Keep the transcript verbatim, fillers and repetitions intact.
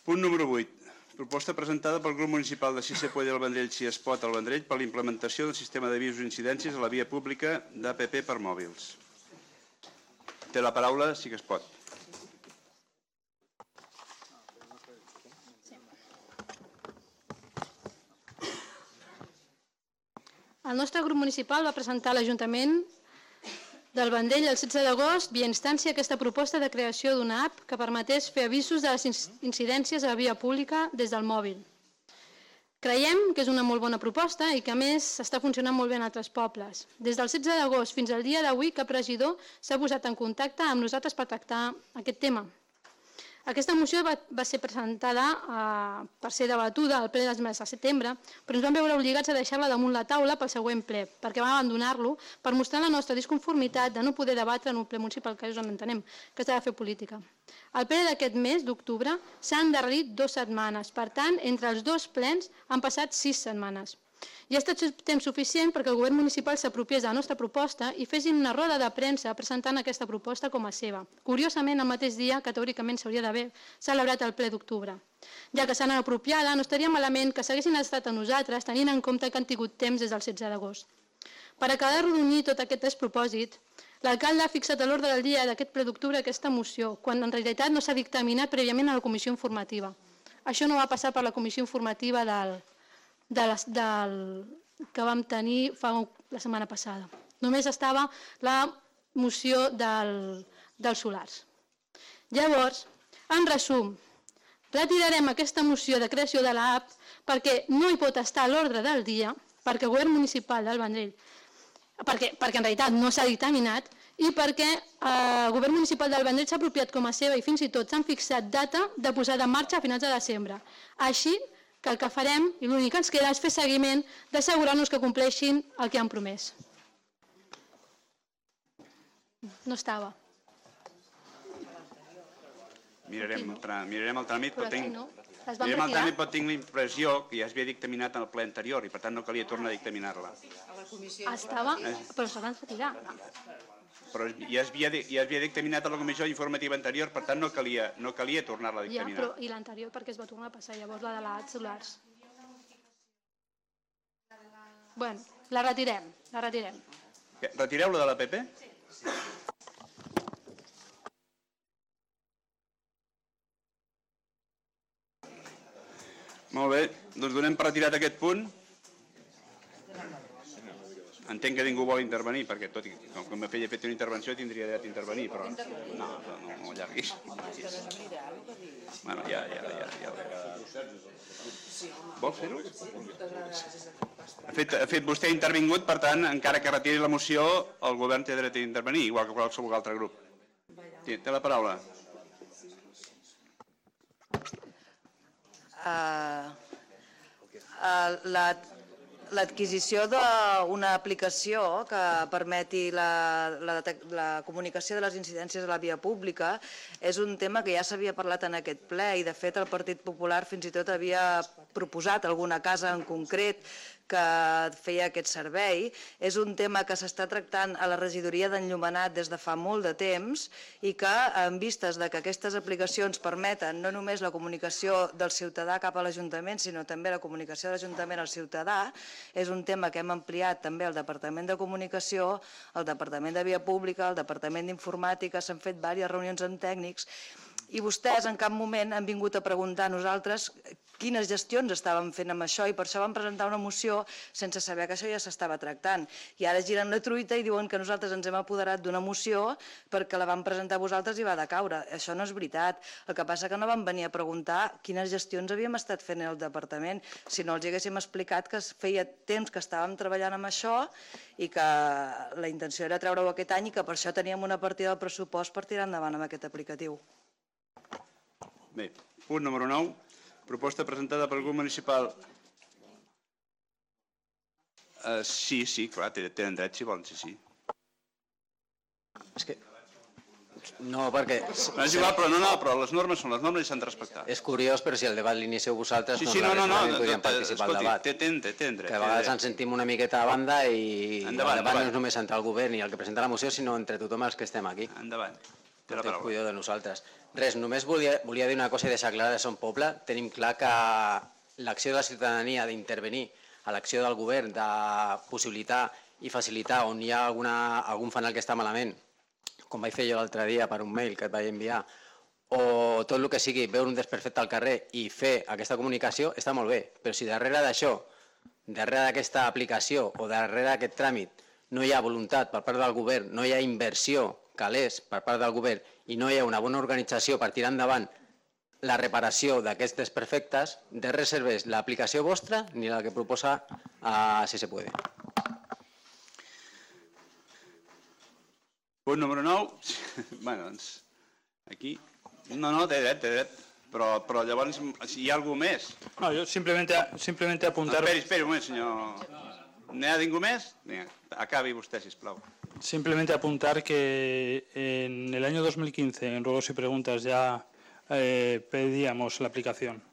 Punt número vuit. Proposta presentada pel grup municipal de C I C P del Vendrell Si es pot al Vendrell per la implementació del sistema d'avisos i incidències a la via pública d'A P P per mòbils. Té la paraula, sí que es pot. El nostre grup municipal va presentar a l'Ajuntament del Vendrell el setze d'agost via instància aquesta proposta de creació d'una app que permetés fer avisos de les incidències a la via pública des del mòbil. Creiem que és una molt bona proposta i que a més està funcionant molt bé en altres pobles. Des del setze d'agost fins al dia d'avui cap regidor s'ha posat en contacte amb nosaltres per tractar aquest tema. Aquesta moció va, va ser presentada eh, per ser debatuda al ple del mes de setembre, però ens vam veure obligats a deixar-la damunt la taula pel següent ple, perquè vam abandonar-lo per mostrar la nostra disconformitat de no poder debatre en un ple municipal, que és on entenem que s'ha de fer política. El ple d'aquest mes d'octubre s'ha endarrerit dues setmanes, per tant, entre els dos plens han passat sis setmanes. I ha estat temps suficient perquè el govern municipal s'apropiés de la nostra proposta i fessin una roda de premsa presentant aquesta proposta com a seva. Curiosament, el mateix dia que teòricament s'hauria d'haver celebrat el ple d'octubre. Ja que s'han apropiada, no estaria malament que s'haguessin estat a nosaltres tenint en compte que han tingut temps des del setze d'agost. Per acabar de rodonir tot aquest despropòsit, l'alcalde ha fixat a l'ordre del dia d'aquest ple d'octubre aquesta moció, quan en realitat no s'ha dictaminat prèviament a la comissió informativa. Això no va passar per la comissió informativa del... De les, del, que vam tenir fa la setmana passada. Només estava la moció del, dels solars. Llavors, en resum, retirarem aquesta moció de creació de l'app perquè no hi pot estar a l'ordre del dia, perquè el govern municipal del Vendrell, perquè, perquè en realitat no s'ha dictaminat, i perquè eh, el govern municipal del Vendrell s'ha apropiat com a seva i fins i tot s'han fixat data de posada en marxa a finals de desembre. Així que el que farem, i l'únic que ens queda, és fer seguiment d'assegurar-nos que compleixin el que han promès. No estava. Mirarem, mirarem el tràmit, però tinc, no. mirarem el tràmit, però tinc la impressió que ja es havia dictaminat en el ple anterior i per tant no calia tornar a dictaminar-la. Estava, però se van retirar. Però ja es, havia, ja es havia dictaminat a la comissió informativa anterior, per tant no calia, no calia tornar-la a dictaminar. Ja, però i l'anterior perquè es va tornar a passar, llavors la de l'A solars. Bueno, la retirem, la retirem. Retireu la de l'A P P? Sí. Molt bé, doncs donem per retirat aquest punt. Entenc que ningú vol intervenir, perquè tot i com que m'ha fet una intervenció tindria dret a intervenir, però no, no, no, no allarguis. Bueno, ja, ja, ja, ja. Vols fer-ho? Ha fet, ha fet vostè intervingut, per tant, encara que retiri la moció, el govern té dret a intervenir, igual que qualsevol altre grup. Té, té la paraula. Uh, uh, la... L'adquisició d'una aplicació que permeti la, la, la comunicació de les incidències a la via pública és un tema que ja s'havia parlat en aquest ple i de fet el Partit Popular fins i tot havia proposat alguna casa en concret que feia aquest servei. És un tema que s'està tractant a la regidoria d'Enllumenat des de fa molt de temps i que, en vistes de que aquestes aplicacions permeten no només la comunicació del ciutadà cap a l'Ajuntament, sinó també la comunicació de l'Ajuntament al ciutadà, és un tema que hem ampliat també al Departament de Comunicació, al Departament de Via Pública, al Departament d'Informàtica, s'han fet diverses reunions amb tècnics i vostès en cap moment han vingut a preguntar a nosaltres quines gestions estàvem fent amb això i per això vam presentar una moció sense saber que això ja s'estava tractant. I ara giren la truita i diuen que nosaltres ens hem apoderat d'una moció perquè la vam presentar a vosaltres i va decaure. Això no és veritat. El que passa que no vam venir a preguntar quines gestions havíem estat fent al departament, si no els haguéssim explicat que feia temps que estàvem treballant amb això i que la intenció era treure-ho aquest any i que per això teníem una partida del pressupost per tirar endavant amb aquest aplicatiu. Bé, punt número nou. Proposta presentada pel grup municipal. Uh, sí, sí, clar, tenen dret si volen, sí, sí. És que... No, perquè... No és igual, però no, no, però les normes són les normes i s'han de respectar. És curiós, però si el debat l'inicieu vosaltres, sí, sí, no, no, no, no podríem participar al debat. Tenen dret, tenen dret. Que a vegades ens sentim una miqueta a banda i el debat no és només entre el govern i el que presenta la moció, sinó entre tothom els que estem aquí. Endavant. No té cuidado de nosaltres. Res, només volia, volia dir una cosa i deixar clara de Son Poble. Tenim clar que l'acció de la ciutadania d'intervenir a l'acció del govern, de possibilitar i facilitar on hi ha alguna, algun fanal que està malament, com vaig fer jo l'altre dia per un mail que et vaig enviar, o tot el que sigui veure un desperfecte al carrer i fer aquesta comunicació, està molt bé. Però si darrere d'això, darrere d'aquesta aplicació o darrere d'aquest tràmit no hi ha voluntat per part del govern, no hi ha inversió calés per part del govern i no hi ha una bona organització per tirar endavant la reparació d'aquests desperfectes, de res serveix l'aplicació vostra ni la que proposa a Si se puede. Punt número nou. Bé, doncs, aquí... No, no, té dret, té dret. Però, però llavors, si hi ha algú més... No, yo simplemente, simplemente apuntar... Esperi, esperi un moment, senyor... N'hi ha ningú més? Vinga, acabi vostè, sisplau. Simplemente apuntar que en el año dos mil quince, en Ruegos y Preguntas, ya eh, pedíamos la aplicación